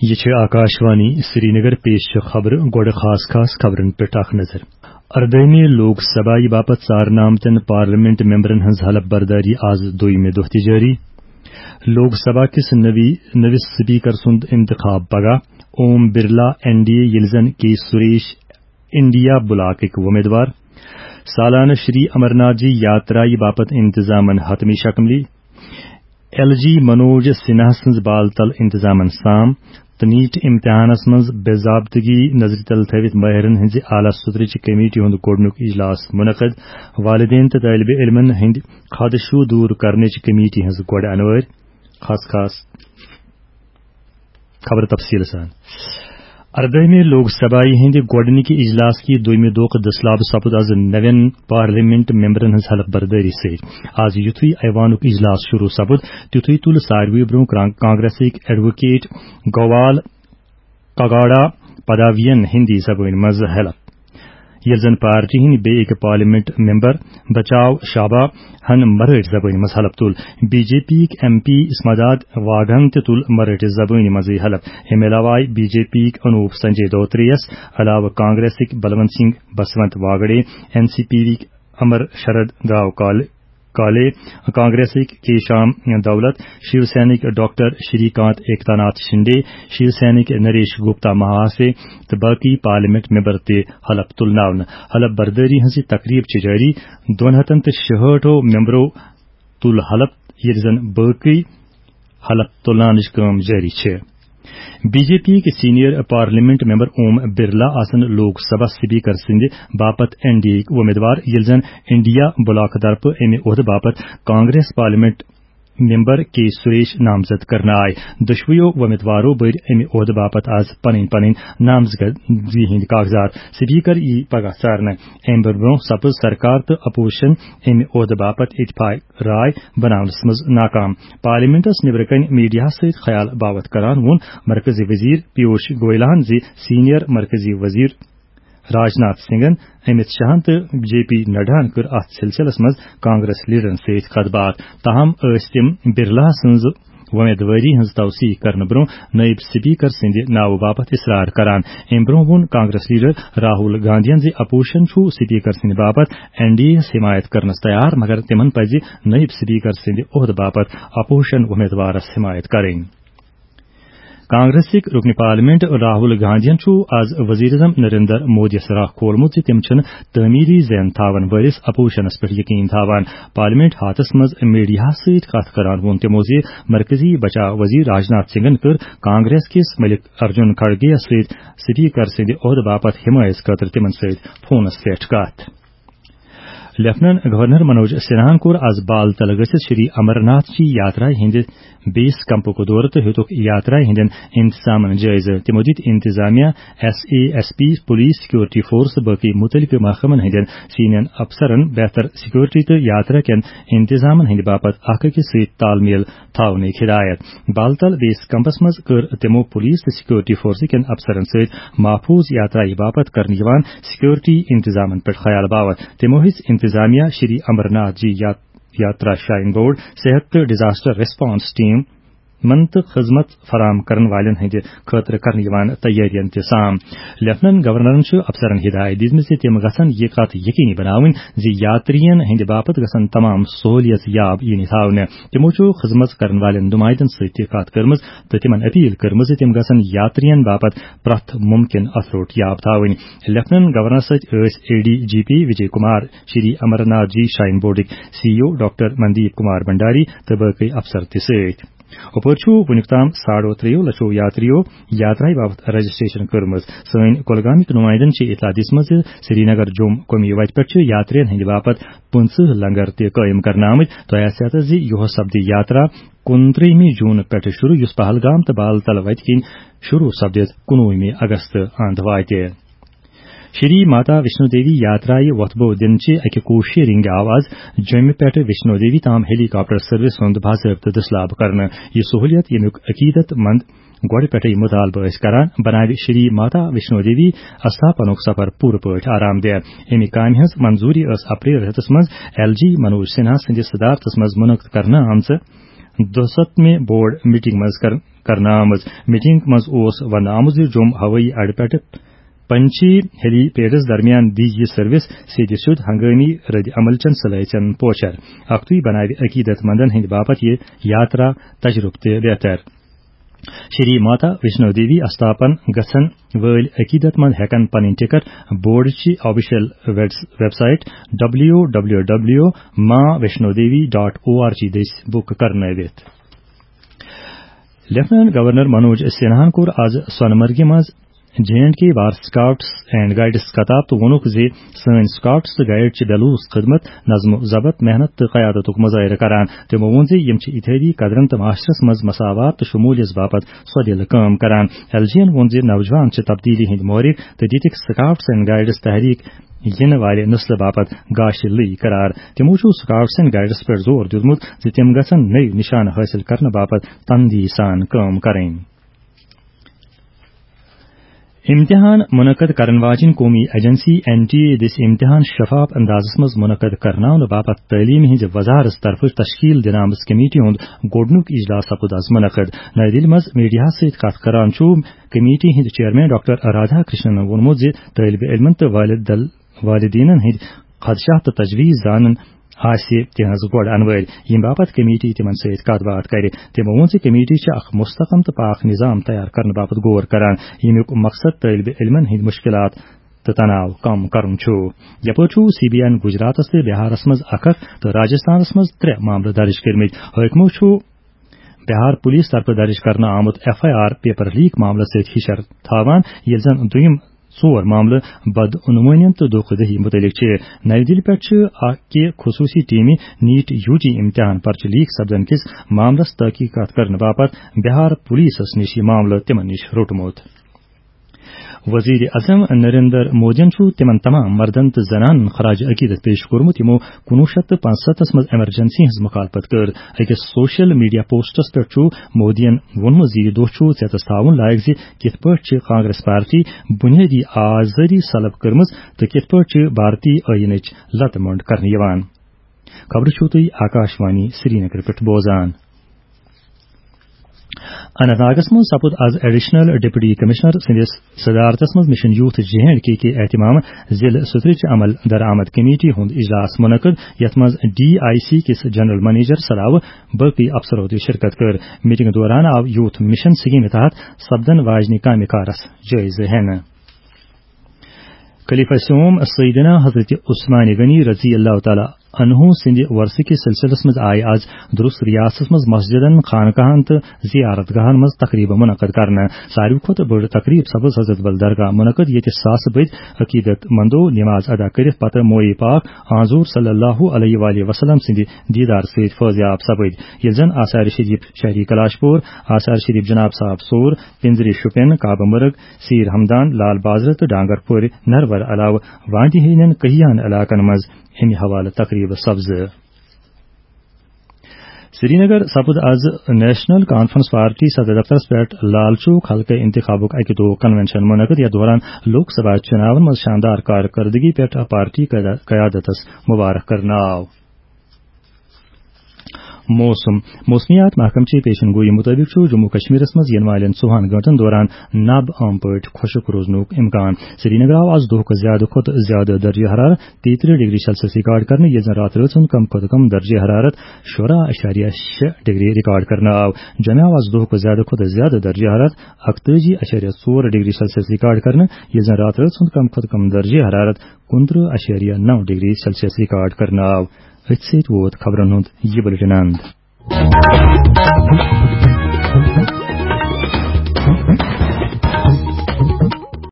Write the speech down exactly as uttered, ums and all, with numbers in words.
یہِ چھِ آکاشوانی سرینگر، پیش چھِ خبرٕ، گۄڈٕ خاص خاص خبرن پٮ۪ٹھ اکھ نظر۔ اردٲہمہِ لوک سبھایہِ باپتھ ژارنہٕ آمتٮ۪ن پارلیمنٹ ممبرن ہٕنٛز حلف بردٲری آز دوٚیمہِ دۄہ تہِ جٲری۔ لوک سبھا کِس نٔوی، نٔوِس سپیکر سُنٛد انتخاب پگاہ۔ Om Birla, N D A, ییٚلہِ زن کے سریش، انڈیا بلاکٕکۍ وۄمیدوار۔ سالانہٕ شری امرناتھ جی یاترایہِ باپتھ انتظامن حتمی شکملی۔ ایل جی منوج سنہا سٕنٛز بال تل انتظامن سام تہٕ نیٹ امتحانس منٛز بے ضابطگی نظرِ تل تھٲوِتھ ماہرن ہٕنٛزِ اعلیٰ سطرٕچہِ کمیٹی ہُنٛد گۄڈٕنیُک اجلاس منعقد۔ والدین تہٕ طٲلبِ علمن ہٕنٛدۍ خدشہٕ دوٗر کرنٕچہِ کمیٹی ہٕنٛز گۄڈٕ انوٲرۍ۔ خاص خاص خبر تفصیل سان۔ اردٲہمہِ لوک سبھایہِ ہٕنٛدِ گۄڈٕنِکہِ اجلاس کہِ دوٚیمہِ دۄہُک دٔسلاب سپُد از نوٮ۪ن پارلیمنٹ ممبرن ہٕنٛز حلف بردٲری سۭتۍ۔ از یُتھُے ایوانُک اجلاس شروع سپُد، تیُتھُے تُل ساروٕے برونٛہہ کران-، کانگریسٕکۍ ایڈووکیٹ گوال کگاڑا پداوین ہندی زبٲنۍ منٛز حلف، ییٚلہِ زن پارٹی ہٕنٛدۍ بیٚیہِ أکۍ پارلیمنٹ ممبر بچاو شابا ہن مرٲٹھۍ زبٲنۍ منٛز حلف تُل۔ بی جے پی یِکۍ ایم پی اسماداد واگھن تہِ تُل مرٲٹھۍ زبٲنۍ منٛزٕے حلف۔ اَمہِ علاوٕ آیہِ بی جے پی یِکۍ انوپ سنجے دوترے یَس علاوٕ کانگریسٕکۍ Balwant Singh Baswant Wagde, N C P یِکۍ امر شرد گاو کال-، کالے، کانگریسٕکۍ کے شام دولت، شیو سینٕکۍ ڈاکٹر شری کانت ایکتا ناتھ شنڈے، شیو سینٕکۍ نریش گپتا مہاسے تہٕ باقی پارلیمنٹ ممبر تہِ حلف تُلناونہٕ۔ حلف بردٲری ہٕنٛز یہِ تقریب چھِ جٲری۔ دۄن ہتن تہٕ شُہٲٹھو ممبرو تُل حلف، ییٚلہِ زن باقی حلف تُلناونٕچ کٲم جٲری چھِ۔ بی جے پی یِکۍ senior parliament member Om Birla آسن لوک سبھا سپیکر سٕنٛدِ باپتھ این ڈی اے یِکۍ وۄمیدوار، ییٚلہِ زن انڈیا بلاک طرفہٕ اَمہِ عہدٕ باپتھ کانگریس پارلیمنٹ ممبر کے سریش نامزد کرنہٕ آے۔ دۄشوٕیو وۄمیدوارو بٔرۍ اَمہِ عہدٕ باپتھ آز پنٕنۍ پنٕنۍ نامزدگی ہٕنٛدۍ کاغذات۔ سپیکر یی پگاہ ژارنہٕ۔ اَمہِ برٛونٛہہ سپٕز سرکار تہٕ اپوزیشن اَمہِ عہدٕ باپتھ اتفاق راے بناونس منٛز ناکام۔ پارلیمنٹس نیبرٕ کنہِ میڈیاہس سۭتۍ خیال باوتھ کران ووٚن مرکزی وزیر پیوش گوئلہن زِ سینئر مرکزی وزیر راجناتھ سنگھن، امت شاہن تہٕ جے پی نڈاہن کٔر اتھ سلسلس منٛز کانگریس لیڈرن سۭتۍ کتھ باتھ۔ تاہم ٲسۍ تِم برلا سٕنٛز وۄمیدوٲری ہٕنٛز توثیق کرنہٕ برٛونٛہہ نٲیِب سپیکر سٕنٛدِ ناوٕ باپتھ اصرار کران۔ امہِ برٛونٛہہ ووٚن کانگریس لیڈر راہول گاندھین زِ اپوزیشن چھُ سپیکر سٕنٛدِ باپتھ این ڈی اے یَس حمایت کرنس تیار، مگر تِمن پزِ نٲیِب سپیکر سٕنٛدِ عہدٕ باپتھ اپوزیشن امیدوارس حمایت کرٕنۍ۔ کانگریسٕکۍ رکن پارلیمنٹ راہول گاندھین چھُ از وزیر اعظم نریندر مودیَس راہ کھولمُت زِ تِم چھِنہٕ تعمیری ذہن تھاون وٲلِس اپوزیشنس پٮ۪ٹھ یقین تھاوان۔ پارلیمنٹ ہاتس منٛز میڈیاہَس سۭتۍ کتھ کران ووٚن تِمو زِ مرکزی بچاو وزیر راجناتھ سنگھن کٔر کانگریس کِس ملک ارجن کھڑگے یَس سۭتۍ سپیکر سٕنٛدِ عہدٕ باپتھ حمایت خٲطرٕ تِمن سۭتۍ فونس پٮ۪ٹھ کتھ۔ لیفٹیننٹ گورنر منوج سنہاہن کوٚر از بال تل گٔژھِتھ شری امرناتھ جی یاترا ہٕنٛدِ بیس کیمپُک دورٕ تہٕ ہیوٚتُکھ یاترا ہٕنٛدٮ۪ن انتظامن جٲیزٕ۔ تِمو دِتۍ انتظامیہ، S A S P, police, security force تہٕ باقی مُتعلقہٕ محکمن ہٕنٛدٮ۪ن سینئر افسرن بہتر سیکورٹی تہٕ یاترا کٮ۪ن انتظامن ہٕنٛدِ باپتھ اکھ أکِس سۭتۍ تال میل تھاونٕچ ہدایت۔ بال تل بیس کیمپس منٛز کٔر تِمو پولیس تہٕ سیکورٹی فورسہٕ کٮ۪ن افسرن سۭتۍ محفوظ یاترایہِ باپتھ کرنہٕ یِوان سیکورٹی انتظامن پٮ۪ٹھ خیال باوتھ۔ تِمو ہیٚژ انتظامیہ شری امرناتھ جی یات-، یاترا شرائن بورڈ، صحت تہٕ ڈیزاسٹر ریسپانس ٹیم من تہٕ خدمت فراہم کرن والٮ۪ن ہٕنٛدِ خٲطرٕ کرنہٕ یِوان تیٲرین تہِ سام۔ لیفٹیننٹ گورنرن چھُ افسرن ہدایت دِژمٕژ زِ تِم گژھن یہِ کتھ یقینی بناوٕنۍ زِ یاترین ہٕنٛدِ باپتھ گژھن تمام سہولیت یاب یِنہٕ تھاونہٕ۔ تِمو چھُ خدمت کرن والٮ۪ن نمائندن سۭتۍ تہِ کتھ کٔرمٕژ تہٕ تِمن اپیل کٔرمٕژ زِ تِم گژھن یاترین باپتھ پرٛٮ۪تھ ممکن اثروٹ یاب تھاوٕنۍ۔ لیفٹیننٹ گورنر سۭتۍ ٲسۍ A D G P Vijay Kumar, Shri Amarnath ji shrine board C E O doctor Mandeep Kumar Bhandari تہٕ باقی افسر تہِ سۭتۍ۔ اوپٲرۍ چھُ وُنیُک تام ساڑو ترٛیٚیو لچھو یاتریو یاترایہِ باپتھ رجسٹریشن کٔرمٕژ۔ سٲنۍ کۄلگامٕکۍ نمائندن چھِ اطلاع دِژمٕژ زِ سرینگر جوم قومی وتہِ پٮ۪ٹھ چھِ یاترین ہٕنٛدِ باپتھ پٕنٛژٕہ لنگر تہِ قٲیِم کرنہٕ آمٕتۍ۔ تۄہہِ آسہِ یاد زِ یُہُس سپدِ یاترا کُنترٛہمہِ جوٗن پٮ۪ٹھٕ شروع، یُس پہلگام تہٕ بال تل وتہِ کِنۍ شروع سپدِتھ کُنوُہمہِ اگست اند واتہِ۔ شری ماتا ویشنو دیوی یاترایہِ وۄتھٕ بو دِنہٕ چہِ اکہِ کوٗششہِ رنگہِ آو از جوٚمہِ پٮ۪ٹھٕ ویشنو دیوی تام ہیلی کاپٹر سروس ہُنٛد باضٲبطہٕ دٔسلاب کرنہٕ۔ یہِ سہوٗلیت، ییٚمیُک عقیدت مند گۄڈٕ پٮ۪ٹھٕے مطالبہٕ ٲسۍ کران، بناوِ شری ماتا ویشنو دیوی استھاپنُک سفر پوٗرٕ پٲٹھۍ آرام دہ۔ اَمہِ کامہِ ہٕنٛز منظوٗری ٲس اپریل رٮ۪تس منٛز ایل جی منوج سنہا سٕنٛدِس صدارتس منٛز منعقد کرنہٕ آمژٕ دُسَتتھ مہِ بورڈ میٹنگ منٛز کر-، کرنہٕ آمٕژ۔ میٹنگ منٛز اوس وننہٕ آمُت زِ جوٚم ہوٲیی اڈٕ پٮ۪ٹھٕ پنچی ہیلی پیڈس درمیان دی یہِ سروس سیٚدِ سیوٚد ہنگٲمی رد عمل چٮ۪ن صلٲحیژن پوچھر۔ اکھتُے بناوِ عقیدت مندن ہٕنٛدِ باپتھ یہِ یاترا تجربہٕ تہِ بہتر۔ شری ماتا ویشنو دیوی استاپن گژھن وٲلۍ عقیدت مند ہٮ۪کن پنٕنۍ ٹکٹ بورڈ چہِ آفیشل ویبس-، website W W W Maa Vaishno Devi dot O R G دٔسۍ بُک کرنٲوِتھ۔ لیفٹیننٹ گورنر منوج سنہاہن کوٚر آز سونمرگہِ منٛز جے اینڈ کے بار سکاؤٹس اینڈ گائیڈس خطاب تہٕ ووٚنُکھ زِ سٲنۍ سکاؤٹس تہٕ گائیڈ چھِ بے لوث خدمت، نظم و ضبط، محنت تہٕ قیادتُک مظٲہرٕ کران۔ تِمو ووٚن زِ یِم چھِ اتحادی قدرن تہٕ معاشرس منٛز مساوات تہٕ شمولیت باپتھ سۄدِلہٕ کٲم کران۔ ایل جی ین ووٚن زِ نوجوان چھِ تبدیلی ہٕنٛدۍ محرک تہٕ دِتِکھ سکاؤٹس اینڈ گائیڈس تحریک یِنہٕ والہِ نسلہٕ باپتھ گاشہِ لٔوۍ قرار۔ تِمو چھُ سکاؤٹس اینڈ گائیڈس پٮ۪ٹھ زور دیُتمُت زِ تِم گژھن نٔوۍ نشانہٕ حٲصِل کرنہٕ باپتھ تندی سان کٲم کرٕنۍ۔ امتحان منعقد کرن واجنۍ قومی ایجنسی این ٹی اے دِژ امتحان شفاف اندازس منٛز منعقد کرناونہٕ باپتھ تعلیمہِ ہٕنٛزِ وزارت طرفہٕ تشکیل دِنہٕ آمٕژ کمیٹی ہُنٛد گۄڈٕنیُک اجلاس سپُد از منعقد۔ نَیہِ دِلہِ منٛز میڈیاہس سۭتۍ کتھ کران چھُ کمیٹی ہٕنٛدۍ چیئرمین ڈاکٹر رادھا کرشنن ووٚنمُت زِ طٲلبہِ علمن تہٕ والد دل-، والدینن ہٕنٛدۍ خدشات تہٕ تجویز زانن آسہِ تِہنٛز گۄڈٕ انوٲرۍ، ییٚمہِ باپتھ کمیٹی تِمن سۭتۍ کتھ باتھ کرِ۔ تِمو ووٚن زِ کمیٹی چھِ اکھ مستحکم تہٕ پاک نظام تیار کرنہٕ باپتھ غور کران، ییٚمیُک مقصد طٲلبہِ علمن ہٕنٛدۍ مشکلات تہٕ تناو کم کرُن چھُ۔ یپٲرۍ چھُ سی بی آئی گجراتس تہٕ بہارس منٛز اکھ اکھ تہٕ راجستھانس منٛز ترٛےٚ معاملہٕ درج کٔرمٕتۍ۔ حٲکمو چھُ بہار پولیس طرفہٕ درج کرنہٕ آمُت F I R paper leak معاملس سۭتۍ ہِشر تھاوان، ییٚلہِ زن دوٚیِم ژور معاملہٕ بدعنوٲنین تہٕ دھوکہٕ دہی مُتعلق چھِ۔ نَیہِ دِلہِ پٮ۪ٹھ چھِ اکہِ خصوٗصی ٹیمہِ نیٹ یوٗ جی امتحان پرچہٕ لیک سپدن کِس معاملس تحقیقات کرنہٕ باپتھ بہار پولیسس نِش یہِ معاملہٕ تِمن نِش روٚٹمُت۔ وزیر اعظم نریندر مودیَن چھُ تِمن تمام مردن تہٕ زنانن خراج عقیدت پیش کوٚرمُت، یِمو کُنوُہ شیٚتھ تہٕ پانٛژستتھس منٛز ایمرجنسی ہٕنٛز مخالفت کٔر۔ أکِس سوشل میڈیا پوسٹس پٮ۪ٹھ چھُ مودیَن ووٚنمُت زِ یہِ دۄہ چھُ ژیتس تھاوُن لایق زِ کِتھ پٲٹھۍ چھِ کانگریس پارٹی بنیٲدی آزٲدی سلب کٔرمٕژ تہٕ کِتھ پٲٹھۍ چھِ بھارتی ٲییٖنٕچ لتہٕ مۄنڈ کرنہٕ یِوان۔ خبرٕ چھِو تُہۍ آکاش وانی سرینگر پٮ۪ٹھ بوزان۔ اننت ناگس منٛز سپُد از ایڈیشنل ڈپٹی کمشنر سٕنٛدِس صدارتس منٛز مشن یوتھ جے اینڈ کے کہِ اہتمام ضلع سترٕچ عمل درآمد کمیٹی ہُنٛد اجلاس منعقد، یتھ منٛز ڈی آئی سی کِس جنرل منیجرس علاوٕ باقی افسرو تہِ شرکت کٔر۔ میٹنگ دوران آو یوتھ مشن سکیمہِ تحت سپدن واجنہِ کامہِ کارس جٲیزٕ ہینہٕ۔ خلیفہ سوم سیدنا حضرت عثمان غنی رضی اللہ تعالیٰ عنہ سٕنٛدِ ورثہٕ کِس سلسلس منٛز آیہِ از درست ریاستس منٛز مسجدن، خانقاہن تہٕ زیارت گاہن منٛز تقریبہٕ منعقد کرنہٕ۔ ساروی کھۄتہٕ بٔڑ تقریب سپٕز حضرت بل درگاہ منعقد، ییٚتہِ ساسہٕ بٔدۍ عقیدت مندو نماز ادا کٔرِتھ پتہٕ موئے پاک حضور صلی اللہ علیہ وآلہ وسلم سٕنٛدِ دیدار سۭتۍ فٲضیاب سپٕدۍ، ییٚلہِ زن آثار شریف شہری کلاش پور، آثار شریف جناب صاحب صوٗر، پنزری شُپین، کعبہٕ مرگ، سیر ہمدان، لال بازرٕ تہٕ ڈانگر پورِ نرور علاوٕ وادی ہٕنٛدٮ۪ن کٔہیاہن علاقن منٛز امہِ حوالہٕ تقریبہٕ سپزٕ۔ سرینگر سپُد از نیشنل کانفرنس پارٹی صدر دفترس پٮ۪ٹھ لال چوک حلقہٕ انتخابُک اکہِ دۄہ کنونشن منعقد، یتھ دوران لوک سبھا چُناون منٛز شاندار کارکردگی پٮ۪ٹھ پارٹی قیادت-، قیادتس مبارک کرنہٕ آو۔ موسم۔ موسمیات محکمہٕ چہِ پیشن گوئی مُطٲبِق چھُ جموں کشمیرس منٛز یِنہٕ والٮ۪ن ژوٚوُہن گٲنٛٹن دوران نب عام پٲٹھۍ خۄشک روزنُک امکان۔ سرینگر آو آز دۄہُک زیادٕ کھۄتہٕ زیادٕ درجہ حرارت تیٚیہِ ترٕٛہ ڈگری سیلسیس ریکارڈ کرنہٕ، ییٚلہِ زن راتہٕ رٲژ ہُنٛد کم کھۄتہٕ کم درجہ حرارت شُراہ اَشاریہ شےٚ ڈگری ریکارڈ کرنہٕ آو۔ جوٚمہِ آو آز دۄہُک زیادٕ کھۄتہٕ زیادٕ درجہ حرارت اَکتٲجی اَشاریہ ژور ڈگری سیلسیس ریکارڈ کرنہٕ، ییٚلہِ زن راتہٕ رٲژ ہُنٛد کم کھۄتہٕ کم درجہ حرارت کُنترٕٛہ اَشاریہ نَو ڈگری سیلسیس ریکارڈ کرنہٕ آو۔ أتھۍ سۭتۍ ووت خبرن ہُنٛد یہِ بُلٹن اند۔